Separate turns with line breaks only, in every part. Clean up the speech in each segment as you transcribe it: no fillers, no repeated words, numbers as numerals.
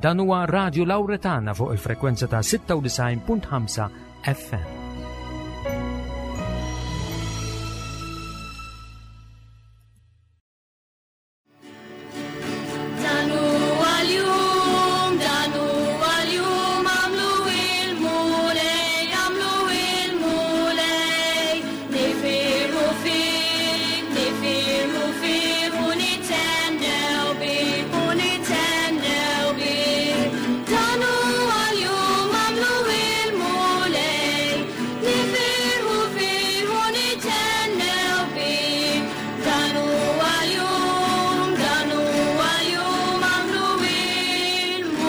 Dan huwa Radio Lauretana fuq il-frekwenza ta' 96.5 FM.
Dan huwa l-jum, dan huwa l-jum, għamlu il-Mulej, għamlu il-Mulej. Nifirħu fih, nifirħu fih, u nithennew bih, u nithennew bih. Dan huwa l-jum, għamlu il-Mulej, nifirħu fih, u nithennew bih. Dan huwa l-jum, dan huwa l-jum, għamlu il-Mulej.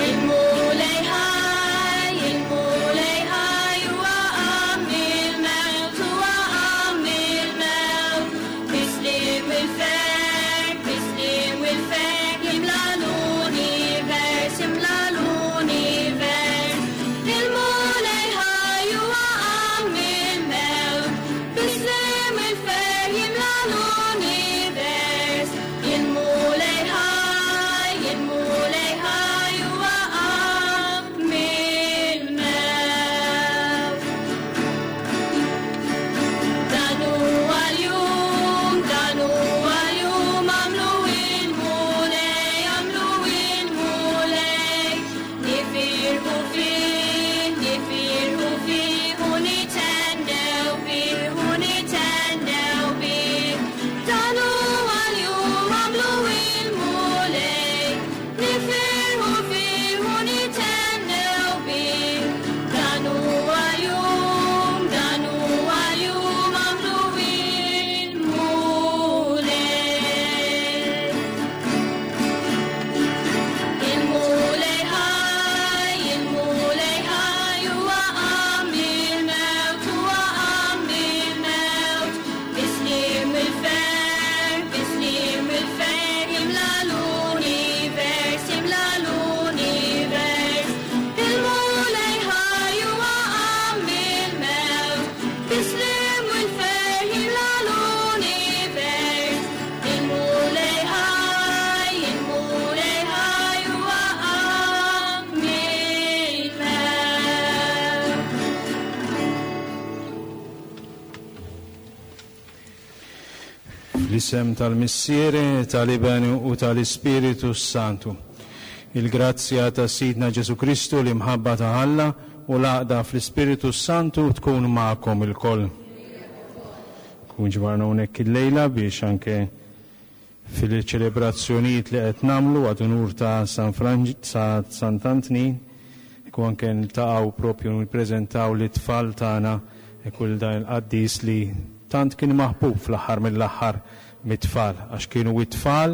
Il-Mulej ħaj, il-Mulej ħaj, huwa qam mill-mewt, huwa qam mill-mewt. Bis-sliem u l-ferħ, bis-sliem u l-ferħ, jimla l-univers, jimla l-univers. Il-Mulej ħaj, huwa qam mill-mewt, bis-sliem u l-ferħ, jimla l-univers. Il-Mulej ħaj, il-Mulej ħaj, huwa qam mill-mewt. Dan huwa l-jum, dan huwa l-jum, għamlu il-Mulej, għamlu il-Mulej. Nifirħu fih, nifirħu fih, u nithennew bih, u nithennew bih. Dan huwa l-jum, għamlu il-Mulej, nifirħu fih, u nithennew bih. Dan huwa l-jum, dan huwa l-jum, għamlu il-Mulej. Il-Mulej ħaj, il-Mulej ħaj, huwa qam mill-mewt, huwa qam mill-mewt. Bis-sliem il-ferħ, bis-sliem il-ferħ, jimla l-univers, jimla l-univers. Il-Mulej ħaj, huwa qam mill-mewt, bis-sliem il-ferħ, jimla l-univers. Il-Mulej ħaj, il-Mulej ħaj, huwa qam mill-mewt.
Fl-isem tal-Missier, tal-Iben u tal-Ispiritu Santu. Il-grazzja ta' Sidna Ġesu Kristu, l-imħabba ta' Alla u l-għaqda fl-Ispiritu Santu tkun magħkom ilkoll. Kun ġbarna hawnhekk illejla biex anke fil-ċelebrazzjonijiet li qed nagħmlu għad unur ta' San Sant'Antnin, ikun anke niltaqgħu propju nippreżentaw lit-tfal tagħna kull dan il-qaddis li tant kien maħbub fl-aħħar mill-aħħar mit-tfal, għax kienu it-tfal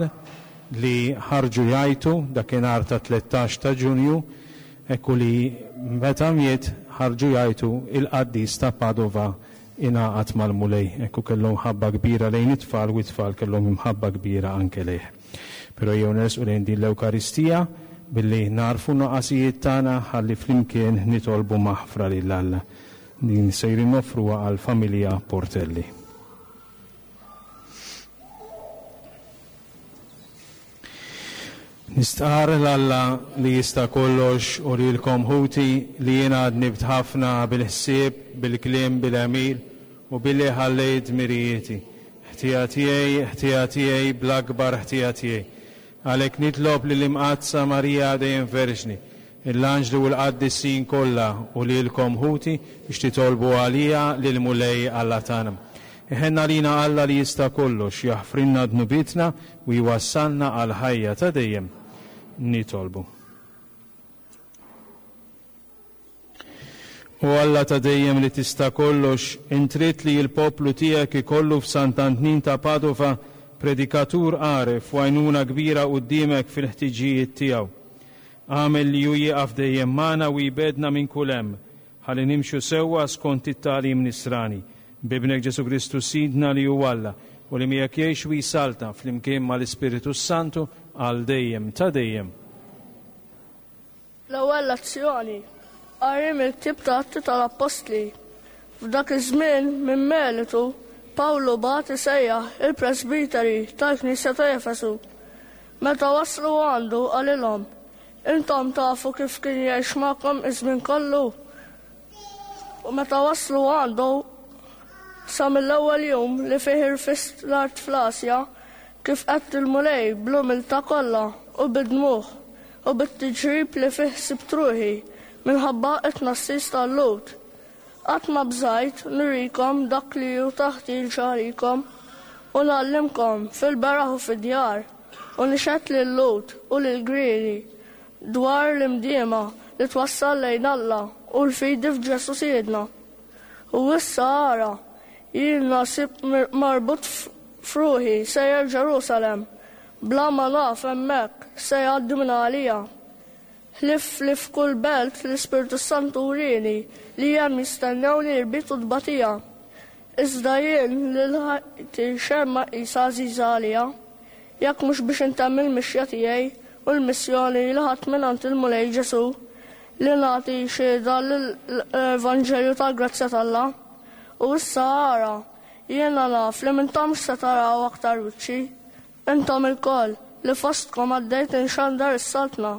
li ħarġu jgħajtu dakinhar ta' 13 ta' Ġunju, ekku li meta miet ħarġu jgħajtu il-qaddis ta' Padova ingħaqad mal-Mulej. Ekku kellhom ħabba kbira lejn it-tfal u it-tfal kellhom imħabba kbira anke lejh. Però jew nersqu lejn din l-Ewkaristija billi narfu nuqqasijiet tagħna ħalli flimkien nitolbu maħfra lil Alla. Din sejrin noffruha għall-familja Portelli. Nistqarr l-Alla li jista' kollox u lilkom ħuti li jiena dnibt ħafna bil-ħsieb, bil-kliem, bil-għemil u billi ħallejt dmirijieti. Ħtija tiegħi, ħtija tiegħi, bl-akbar ħtija tiegħi. Għalhekk nitlob lill-Imqaddsa Marija dejjem Verġni, l-anġli u l-qaddisin kollha u lilkom ħuti biex titolbu għalija lill-Mulej Alla tagħna. Iħenn għalina Alla li jista' kollox, jaħfrilna dnubietna u jwassalna għal ħajja ta' dejjem. Nitolbu. O Alla ta' dejjem li tista' kollox, intrid li l-poplu tiegħek ikollu f'Sant'Antnin ta' Padova predikatur għaref u għajnuna kbira quddiemek fil-ħtiġijiet tiegħu. Agħmel li hu jieqaf dejjem magħna u jbegħdna minn kull hemm, ħalli nimxu sewwa skont it-tagħlim nisrani. B'Ibnek Ġesù Kristu Sidna li hu Alla u li miegħek jgħix u jsaltan flimkien mal-Ispiritu s-Santu għal dejjem ta' dejjem.
L-ewwel lezzjoni, qari mill-ktieb ta' Atti tal-Appostli. F'dak iż-żmien minn Melitu Pawlu bagħat isejjaħ il-presbiteri tal-knisja ta' Efesu. Meta waslu għandu qalilhom, Intom tafu kif kien jgħix magħkom iż-żmien kollu. U meta waslu għandu sa mill-ewwel jum li fih irfist l-art fl-Asja, kif qed il-Mulej bl-umiltà kollha u bid-dmugħ u bit-tiġrib li fih sibt ruħi minħabba t-tnassis tal-Lhud. Qatt ma bżajt nurikom dak li hu ta' ħtieġa għalikom, u ngħallimkom fil-beraħ u fid-djar, u nixhed lil-Lhud u lill-Griegi dwar l-imdiema li twassal lejn Alla u l-fidi f'Ġesù Sidna. U issa ara, jien nasib marbut f'ruħi sejjer Ġerusalemm, bla ma naf hemmhekk x'se jgħaddi minn għalija. Ħlief li f'kull belt l-Ispirtu s-Santu wrieni li hemm jistennewni irbit u tbatija. Iżda jien lil ħajti xejn ma qisha għażiża għalija, jekk mhux biex intemm il-mixja tiegħi u l-missjoni li ħadt mingħand il-Mulej Ġesù, li nagħti xhieda lill-Evanġelju tal-grazzja t'Alla. U issa ara, jiena naf li m'intomx se taraw aktar wiċċi. Intom ilkoll, li fostkom għaddejt inxandar is-Saltna.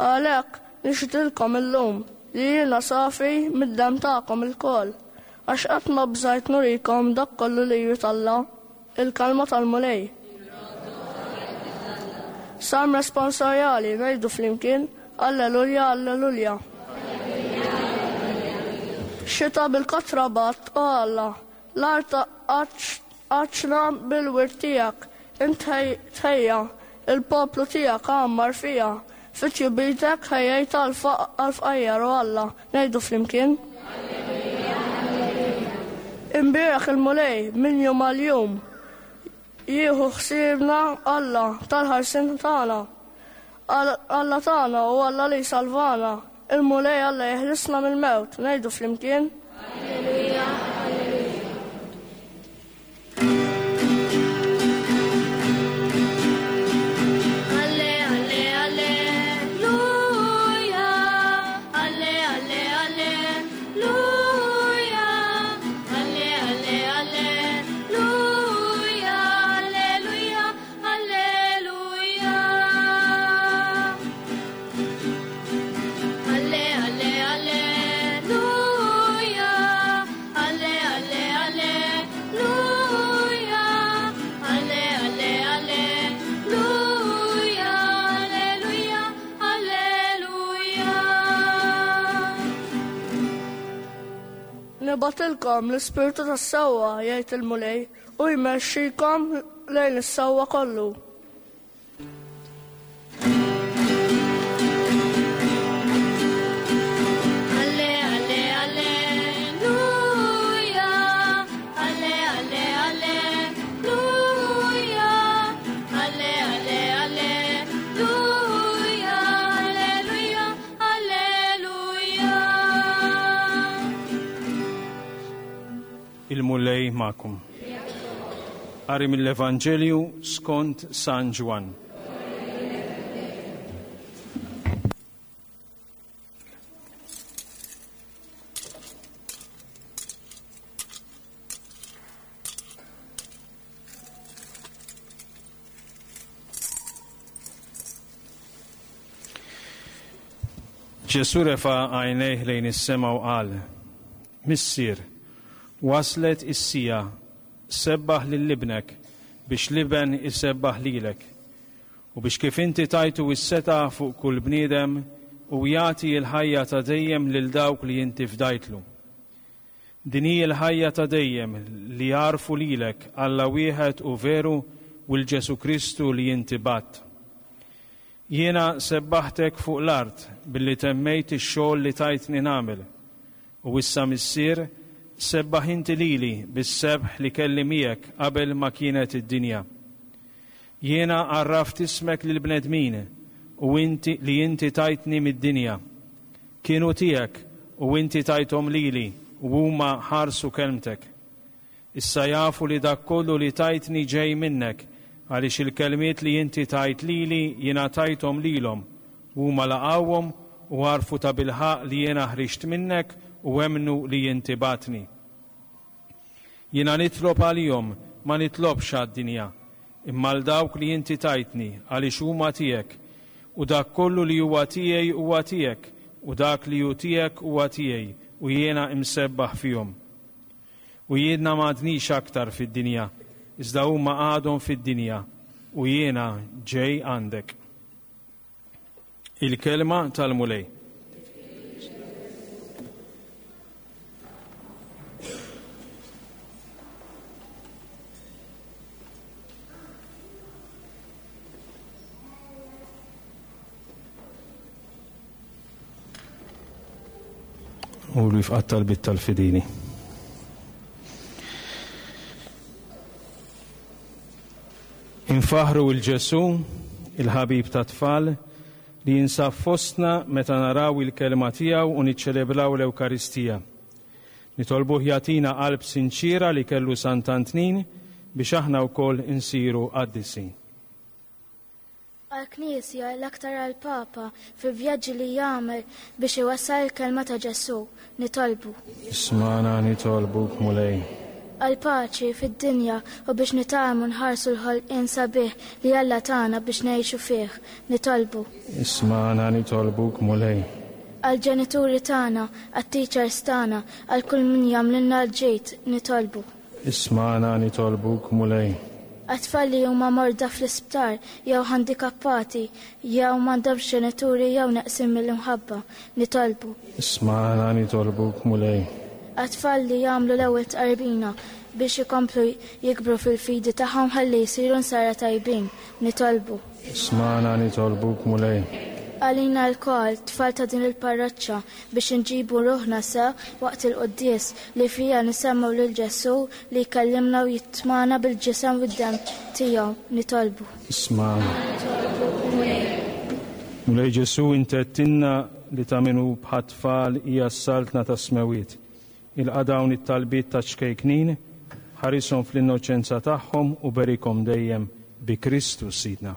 Għalhekk, nixhdilkom illum li jiena safi mid-demm tagħkom ilkoll, għax qatt ma bżajt nurikom dak kollu li jrid Alla. Il-Kelma tal-Mulej. Salm responsorjali, ngħidu flimkien, Alleluja, Alleluja. Xita bil-kotra bat, o Alla, l-art Għaddxna bil-wirt tiegħek, int tħejja, il-poplu tiegħek għammar fiha. Fi tjubitek ħejjejt għall-fqajjar, o Alla, ngħidu flimkien. Imbierek il-Mulej minn jum għal jum, jieħu ħsiebna Alla tal-ħarsien tagħna. Alla tagħna u Alla li jsalvana, il-Mulej Alla jeħlisna mill-mewt, ngħidu flimkien.
Alleluja, alleluja. Alle, alle, alleluja. Alle, alle, alleluja. Alle, alle, alleluja. Alleluja, alleluja. Alle, alle, alleluja. Alle, alle, alleluja. Alle, alle, alleluja. Alleluja, alleluja.
Nibgħatilkom l-Ispirtu tas-sewwa, jgħid il-Mulej, u jmexxikom lejn is-sewwa kollu.
Alle, alle, alleluja. Alle, alle, alleluja. Alle, alle, alleluja. Alleluja, alleluja.
Il-Mulej magħkom. Qari mill-Evanġelju skont San Ġwann. Ġesù refa' għajnejh lejn is-sema u qal, Missier, waslet is-siegħa, sebbaħ lil ibnek biex l-iben isebbaħ lilek, u biex kif inti tajtu s-setgħa fuq kull bniedem u jagħti l-ħajja ta' dejjem lil dawk li inti fdajtlu. Din hi l-ħajja ta' dejjem, li jagħrfu lilek, Alla wieħed u veru, u 'l Ġesù Kristu li inti bgħatt. Jiena sebbaħtek fuq l-art billi temmejt ix-xogħol li tajtni nagħmel. U issa, Missier, sebbaħ inti lili bis-sebħ li kelli miegħek qabel ma kienet id-dinja. Jiena għarraft ismek lill-bnedmin u inti li inti tajtni mid-dinja. Kienu tiegħek u inti tajthom lili u huma ħarsu kelmtek. Issa jafu li dak kollu li tajtni ġej minnek, għaliex il-kelmiet li inti tajt lili jiena tajthom lilhom, u huma laqgħuhom u għarfu tabilħaqq li jiena ħriġt minnek u emmnu li inti bgħattni. Jiena nitlob għalihom, ma nitlobx għad-dinja, imma għal dawk li inti tajtni, għaliex huma tiegħek. U dak kollu li huwa tiegħi huwa tiegħek, u dak li hu tiegħek huwa tiegħi, u jiena imsebbaħ fihom. U jiena m'għadnix aktar fid-dinja, iżda huma għadhom fid-dinja, u jiena ġej għandek. Il-kelma tal-Mulej. U li fqat talbit tal-fidili. Infaħħru 'l Ġesù, il-ħabib tat-tfal, li jinsab fostna meta naraw il-Kelma tiegħu u niċċelebraw l-Ewkaristija. Nitolbuh jagħtina qalb sinċiera li kellu Sant'Antnin biex aħna wkoll insiru qaddisin.
Għall-Knisja, l-aktar għall-Papa, fil-vjaġġi li jagħmel biex iwassal il-Kelma ta' Ġesù, nitolbu.
Ismagħna nitolbuk, Mulej.
Għall-paċi fid-dinja u biex nitgħallmu nħarsu l-ħolqien sabiħ li Alla tana biex ngħixu fih, nitolbu.
Ismagħna nitolbuk, Mulej.
Għall-ġenituri tagħna, għat-teachers tagħna, għal kull min jagħmlilna l-ġid, nitolbu.
Ismagħna nitolbuk, Mulej.
Għat-tfal li huma morda fl-isptar jew ħandikappati jew m'għandhomx ġenituri jew neqsin mill-imħabba, nitolbu.
Ismagħna nitolbuk, Mulej.
Għat-tfal li jagħmlu l-ewwel tqarbina biex ikomplu jikbru fil-fidi tagħhom ħalli jsiru nsara tajbin, nitolbu.
Ismagħna nitolbuk, Mulej.
Għalina lkoll, tfal ta' din il-parroċċa, biex inġibu ruħna sew waqt il-quddies li fiha nisemgħu lil Ġesù li jkellimna u jitmagħna bil-ġisem u d-demm tiegħu, nitolbu.
Ismagħna. Mulej Ġesù, int għedtilna li ta' min hu bħat-tfal hija s-saltna tas-smewwiet. Ilqa' dawn it-talbiet taċ-ċkejknin, ħarishom fl-innoċenza tagħhom u berikhom dejjem bi Kristu Sidna.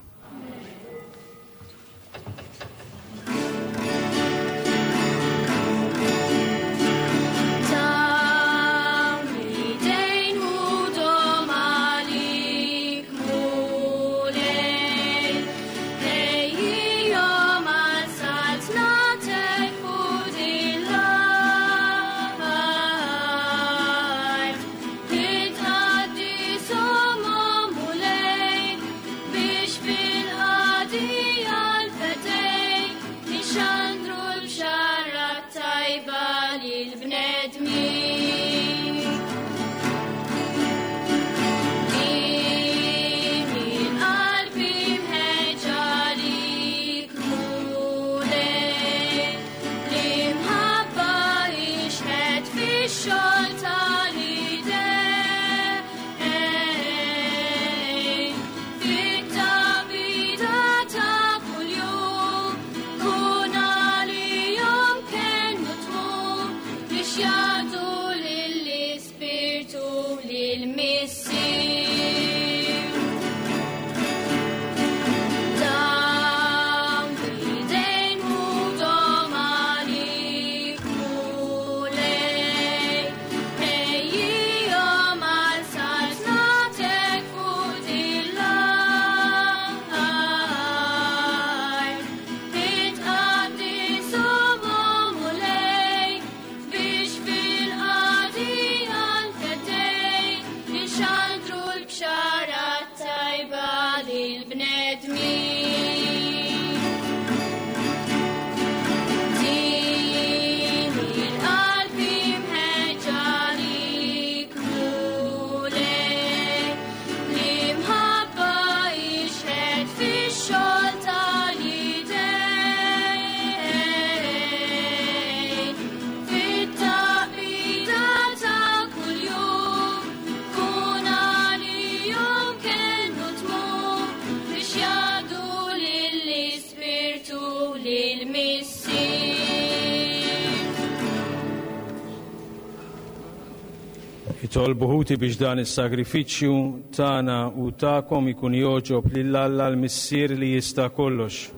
Itolbu ħuti biex dan is-sagrifiċċju tagħna u tagħkom ikun jogħġob lil Alla l-Missier li jista' kollox.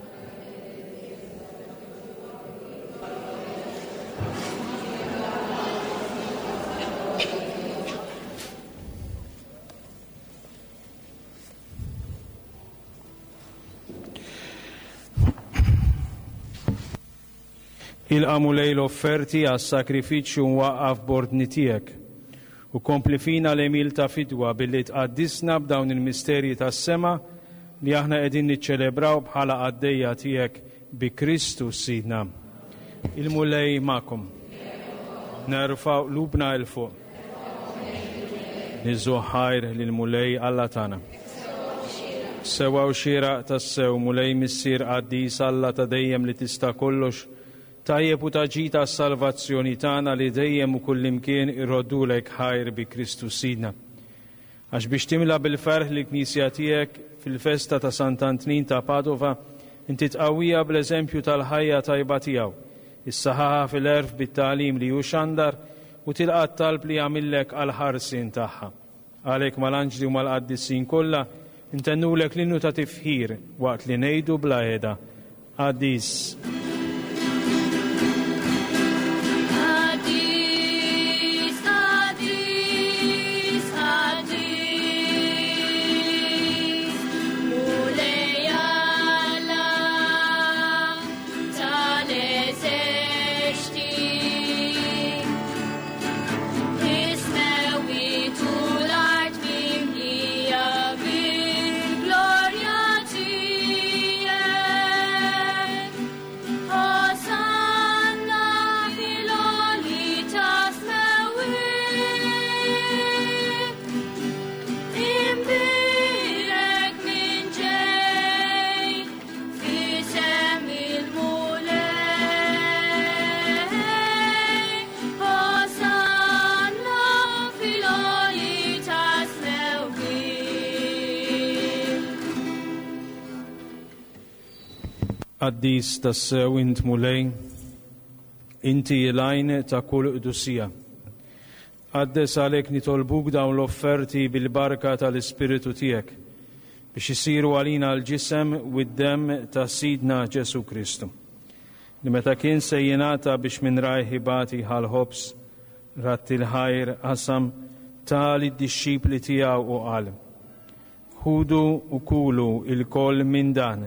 Ilqa' Mulej l-offerti għas-sagrifiċċju mwaqqaf b'ordni tiegħek, u kompli fina l-għemil ta' fidwa billi tqaddisna b'dawn il-misterji tas-sema li aħna qegħdin niċċelebraw bħala qaddejja tiegħek bi Kristu Sidna. Il-Mulej magħkom. Nerfgħu qlubna 'l fuq. Niżżu ħajr lill-Mulej Alla tagħna. Sewwa u xieraq tassew, Mulej Missier qaddis Alla ta' dejjem li tista' kollox, tajjeb u ta' ġid għas-salvazzjoni tagħna li dejjem u kullimkien irroddulek ħajr bi Kristu Sidna. Għax biex timla bil-ferħ lill-Knisja tiegħek fil-festa ta' Sant'Antnin ta' Padova, inti tqawwiha bl-eżempju tal-ħajja tajba tiegħu, issaħħaħha fil-għerf bit-tagħlim li hu xandar u tilqa' t-talb li jagħmillek għall-ħarsien tagħha. Għalhekk mal-anġli u mal-qaddisin kollha ntennulek l-innu ta' tifħir waqt li ngħidu bla heda, Qaddis.
Qaddis, qaddis, qaddis, Mulej Alla tal-eżerċti. Is-smewwiet u l-art mimlija bil-glorja tiegħek. Hosanna fil-għoli tas-smewwiet. Imbierek min ġej f'isem il-Mulej. Hosanna fil-għoli tas-smewwiet.
Qaddis tassew int Mulej, inti l-għajn ta' kull qdusija. Qaddes għalhekk nitolbuk dawn l-offerti bil-barka tal-Ispiritu tiegħek, biex isiru għalina l-ġisem u d-demm ta' Sidna Ġesù Kristu, li meta kien se jingħata biex minn rajh ibati ħa l-ħobż, radd il-ħajr, qasam, ta lid-dixxipli tiegħu u qal, Ħudu u kulu lkoll minn dan,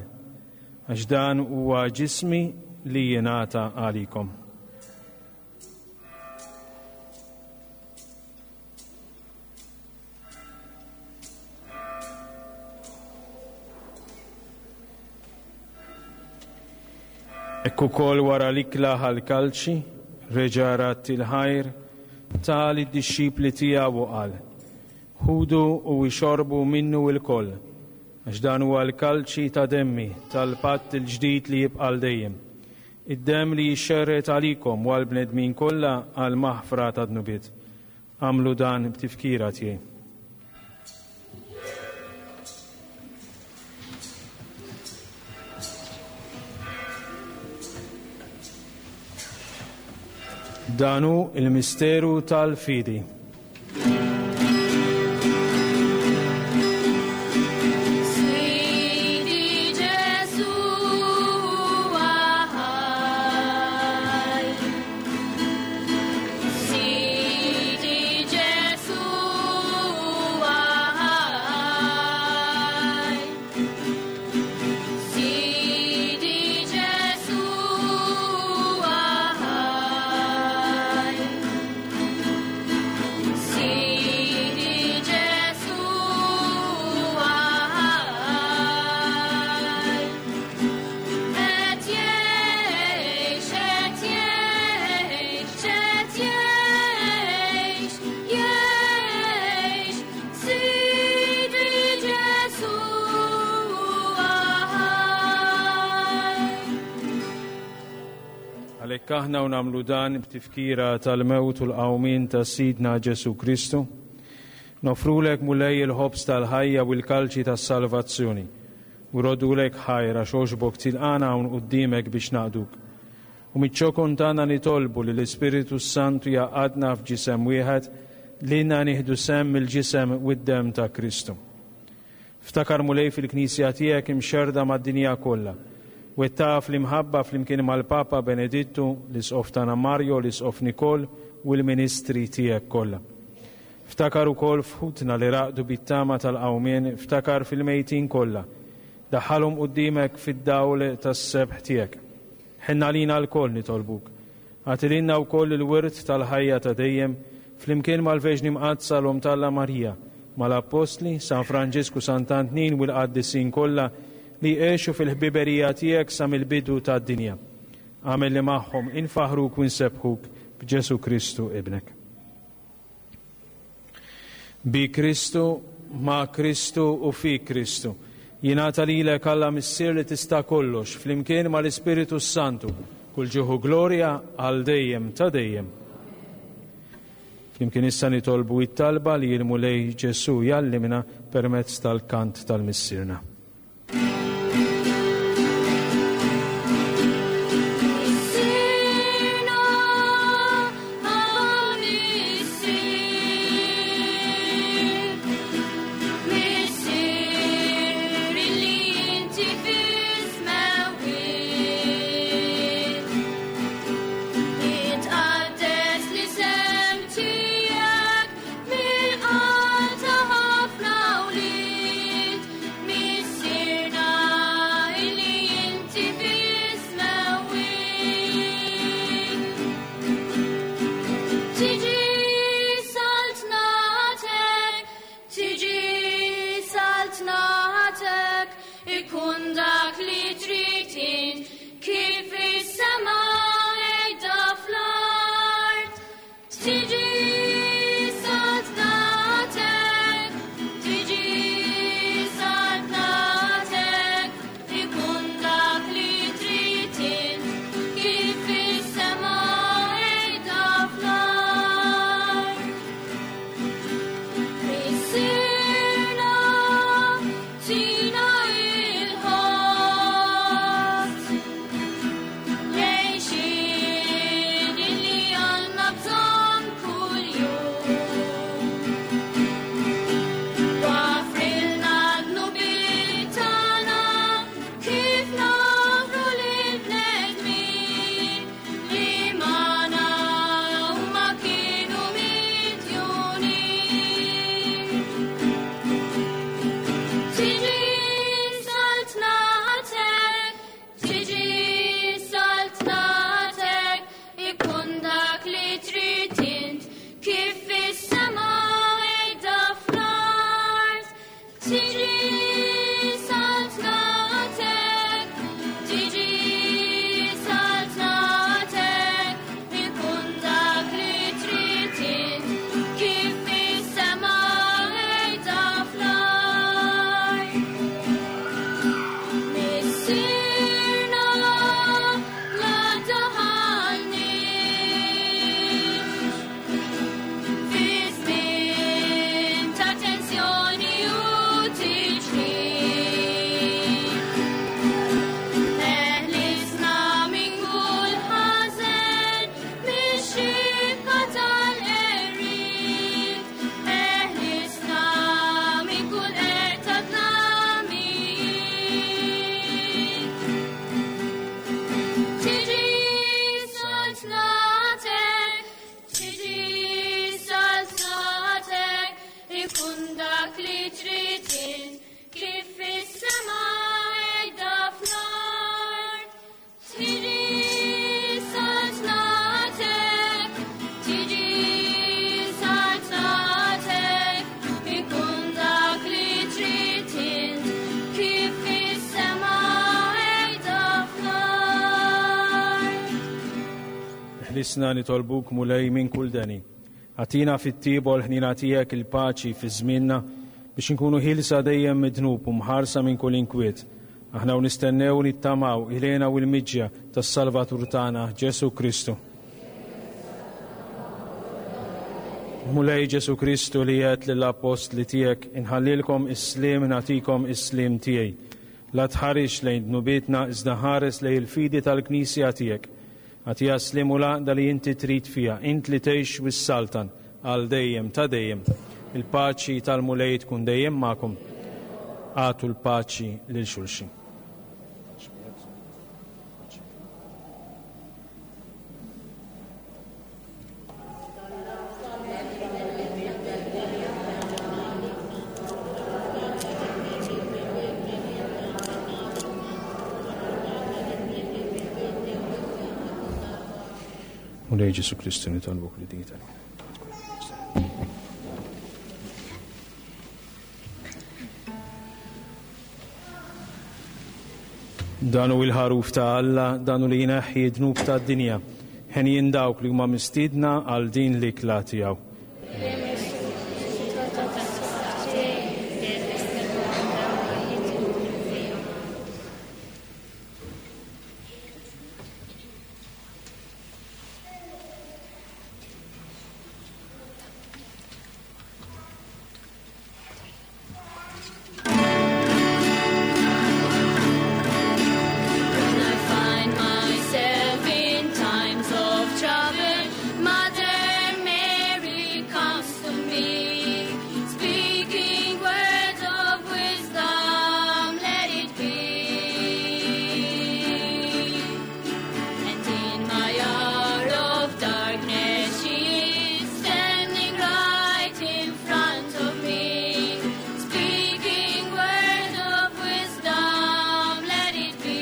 għax dan huwa ġismi li jingħata għalikom. Hekk ukoll wara l-ikla ħa l-kalċi, reġa' radd il-ħajr, ta lid-dixxipli tiegħu u qal, Ħudu u ixorbu minnu lkoll, għax dan huwa l-kalċi ta' demmi tal-patt il-ġdid li jibqa' għal dejjem, id-demm li jixxerred għalikom u għall-bnedmin kollha għall-maħfra tad-dnubiet. Agħmlu dan b'tifkira tiegħi. Dan hu il-misteru tal-fidi.
Sidi Ġesù ħaj. Sidi Ġesù ħaj. Sidi Ġesù ħaj. Sidi Ġesù ħaj. Qed jgħix, qed jgħix, qed jgħix, jgħix, Sidi Ġesù ħaj.
Għalhekk aħna u nagħmlu dan b'tifkira tal-mewt u l-qawmien ta' Sidna Ġesù Kristu, noffrulek Mulej il-ħobż tal-ħajja u l-kalċi tas-salvazzjoni, u roddulek ħajr għax għoġbok tilqana hawn quddiemek biex naqduk. U miċ-ċokon tagħna nitolbu li l-Ispiritu s-Santu jgħaqqadna f'ġisem wieħed lilna nieħdu sehem mill-ġisem u d-demm ta' Kristu. Ftakar Mulej fil-Knisja tiegħek imxerrda mad-dinja kollha. Wettaqha fl-imħabba flimkien mal-Papa Benedittu, l-Isqof tagħna Mario, l-Isqof Nikol u l-ministri tiegħek kollha. Ftakar ukoll f'ħutna li raqdu bit-tama tal-qawmien, ftakar fil-mejtin kollha. Daħħalhom quddiemek fid-dawl tas-sebħ tiegħek. Ħenn għalina lkoll nitolbuk. Agħti lilna wkoll il-wirt tal-ħajja ta' dejjem, flimkien mal-Verġni Mqaddsa l-Omm t'Alla Marija, mal-Appostli, San Franġisk u Sant'Antnin u l-qaddisin kollha li għexu fil-ħbiberija tiegħek sa mill-bidu tad-dinja. Agħmel li magħhom infaħħruk u nsebbħuk b'Ġesù Kristu Ibnek. Bi Kristu, ma' Kristu u fi Kristu. Jingħata lilek Alla Missier li tista' kollox, flimkien mal-Ispiritu s-Santu, kull ġieħ u glorja għal dejjem ta' dejjem. Flimkien issa nitolbu it-talba li l-Mulej Ġesù jgħallimna permezz tal-kant tal-Missierna. Ħlisna nitolbuk Mulej minn kull deni. Agħtina fit-tjieba u l-ħniena tiegħek il-paċi fi żmienna biex inkunu ħielsa dejjem mid-dnub u mħarsa minn kull inkwiet. Aħna u nistennew u nittamaw il-hena u l-miġja tas-Salvatur tagħna Ġesù Kristu. Mulej Ġesù Kristu li għedt lill-appostli tiegħek inħallilkom is-sliem nagħtikom is-sliem tiegħi. La tħarisx lejn dnubietna iżda ħares lejn il-fidi tal-Knisja tiegħek. Agħtiha s-sliem u l-għaqda li inti trid fiha, int li tgħix u ssaltan għal dejjem ta' dejjem. Il-paċi tal-Mulej tkun dejjem magħkom. Agħtu l-paċi lil xulxin. Mulej Ġesu Kristu nitolbuk li din Dan hu il-ħaruf ta' Alla, dan hu li jneħħi d-dnub tad-dinja. Henjin dawk li huma mistiedna għal din l-ikla tiegħu.
When I find myself in times of trouble, Mother Mary comes to me, speaking words of wisdom, let it be. And in my hour of darkness, she is standing right in front of me, speaking words of wisdom, let it be.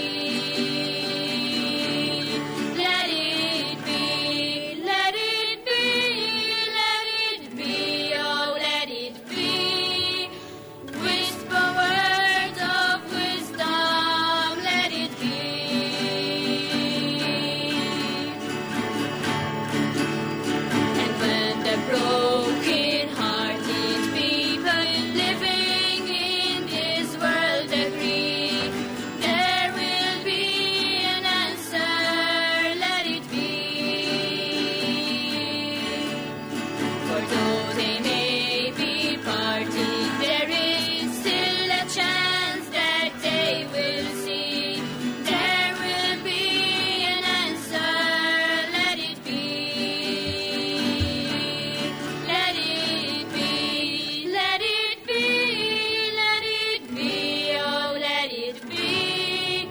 Let it be, let it be, let it be, oh, let it be. Whisper words of wisdom, let it be. And when the broken-hearted people living in this world agree, there will be an answer, let it be. For though they may be parted, there is still a chance that they will see. There will be an answer, let it be. Let it be, let it be, let it be, oh, let it be.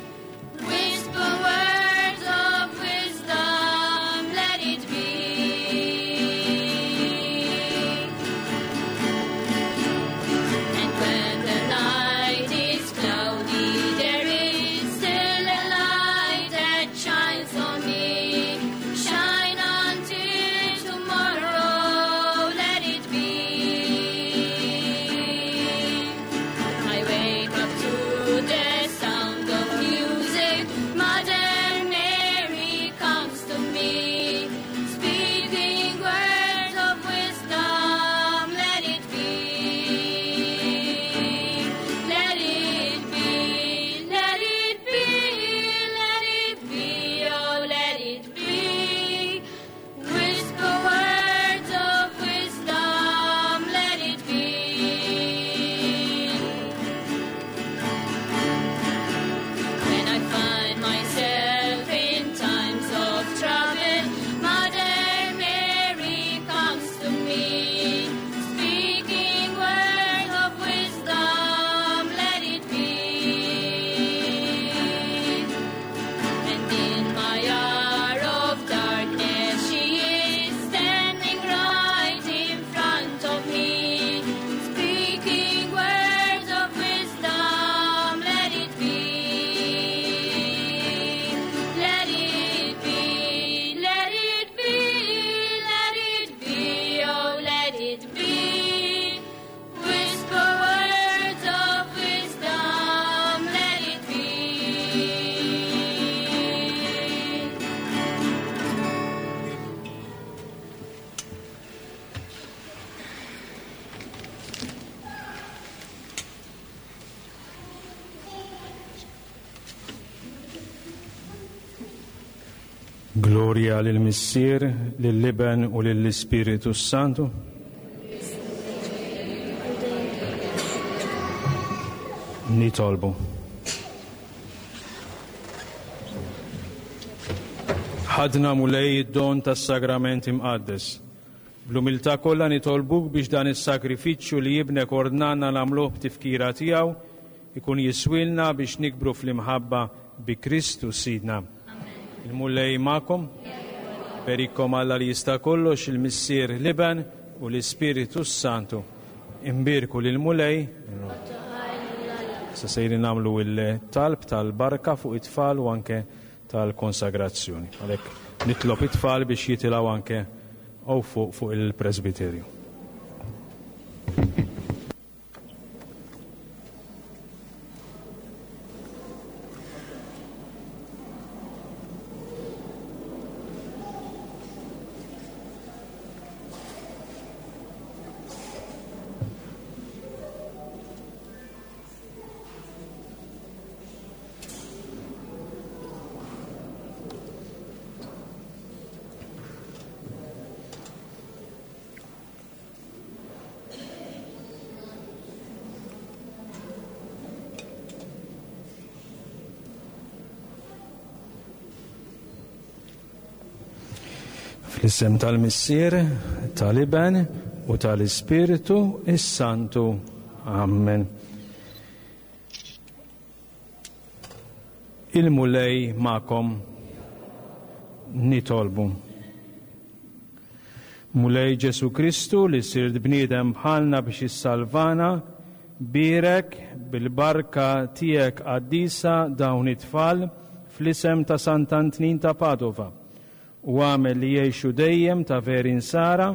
Whisper words of wisdom, let it be. And when the night is cloudy, there is still a light that shines on me. Shine until tomorrow, let it be. I wake up to the sound of music. Mother Mary comes to me, speaking words of wisdom. Let it be. Let it be. Let it be. Let it be. Oh, let it be. Whisper words of wisdom. Let it be. When I find myself in times of trouble, Mother Mary comes to me, speaking words of wisdom, let it be. And in my hour of darkness, she is standing right in front of me, speaking words of wisdom, let it be. Let it be, let it be, let it be, oh, let it be. Whisper words of wisdom, let it be.
Gloria lil Missier, lill-Iben u lill-Ispiritu Santu. Nitolbu. Ħadna mulej id-don tas-sagrament imqaddes. Bl-umiltà kollha nitolbuk biex dan is-sagrifiċċju li jibnek ordnanna nagħmluh b'tifkira tiegħu ikun jiswilna biex nikbru fl-imħabba bi Kristu Sidna. Il-Mulej magħkom, berikkom Alla li jista' kollox il-Missier l-Iben u l-Ispiritu Santu. Imbierku lil Mulej. Sa sejrin nagħmlu il-talb tal-barka fuq it-tfal u anke tal-konsagrazzjoni. Għalhekk Nitlob it-tfal biex jitilgħu anke hawn fuq fuq il-presbiterju. Fl-isem tal-Missier, tal-Iben u tal-Ispirtu is-Santu. Amen. Il-Mulej magħkom. Nitolbu. Mulej Ġesu Kristu li sirt bniedem bħalna biex issalvana, bierek bil-barka tiegħek qaddisa dawn it-tfal fl-isem ta' Sant'Antnin ta' Padova u agħmel li jgħixu dejjem ta' veri Nsara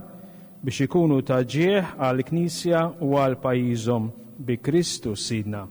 biex ikunu ta' ġieħ għall-Knisja u għal pajjiżhom bi Kristu Sidna.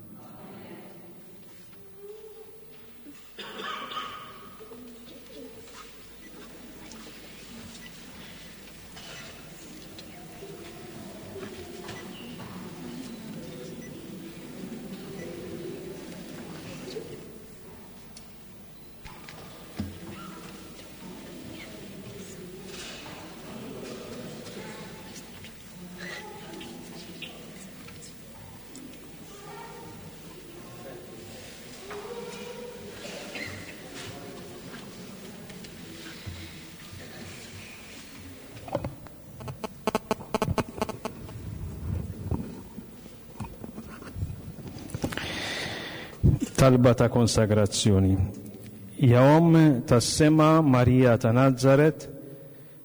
Talba ta' konsagrazzjoni. Ja Omm tas-sema Marija ta' Nazaret,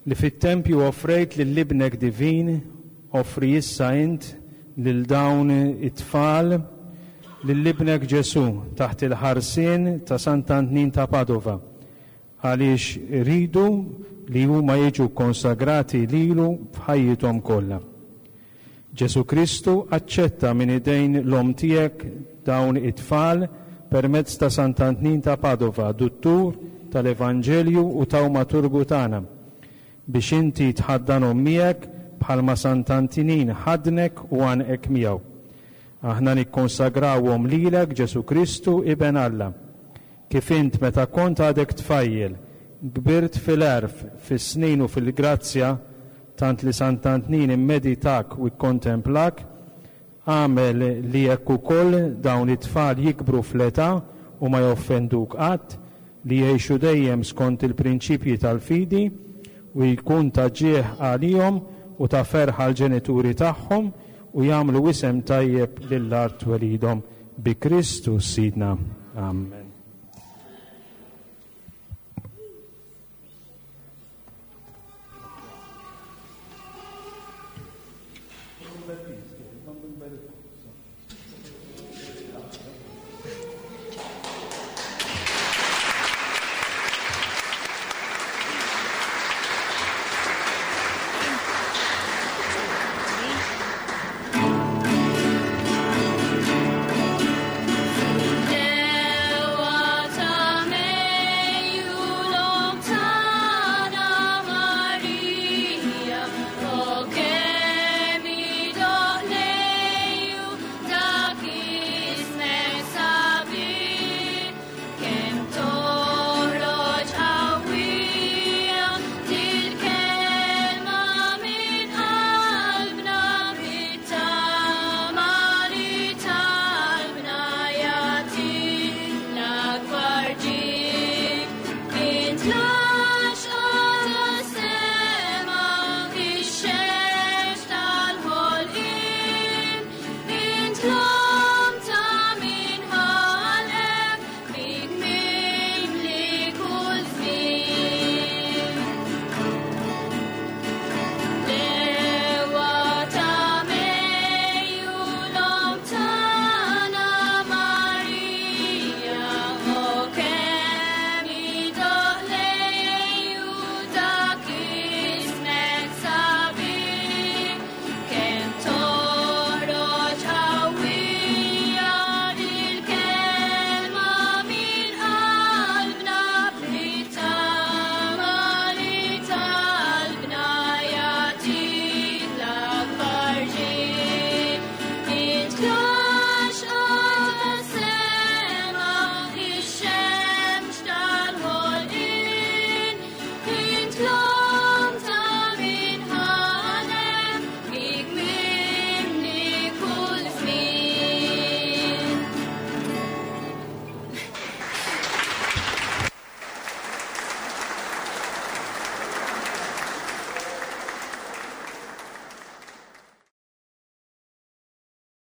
li fit-tempju offrejt lil Ibnek divin, offri issa int lil dawn it-tfal lil Ibnek Ġesù taħt il-ħarsien ta' Sant'Antnin ta' Padova, għaliex iridu li huma jiġu kkonsagrati lilu f'ħajjithom kollha. Ġesù Kristu, aċċetta minn idejn l-Omm tiegħek dawn it-tfal permezz ta' Sant'Antnin ta' Padova, duttur tal-Evanġelju u tawmaturgu tagħna, biex inti tħaddanhom miegħek bħalma Sant'Antinin ħaddnek u għannqek miegħu. Aħna nikkonsagrawhom lilek, Ġesù Kristu, Iben Alla. Kif int meta kont għadek tfajjel, kbirt fil-għerf, fis-snin u fil-grazzja, tant li Sant'Antnin immeditak u kkontemplak, agħmel li hekk ukoll dawn it-tfal jikbru fl-età u ma joffenduk qatt, li jgħixu dejjem skont il-prinċipji tal-fidi, u jkun ta' ġieħ għalihom u ta' ferħ għall-ġenituri tagħhom, u jagħmlu isem tajjeb lil art twelidhom. Bi Kristu Sidna. Amen.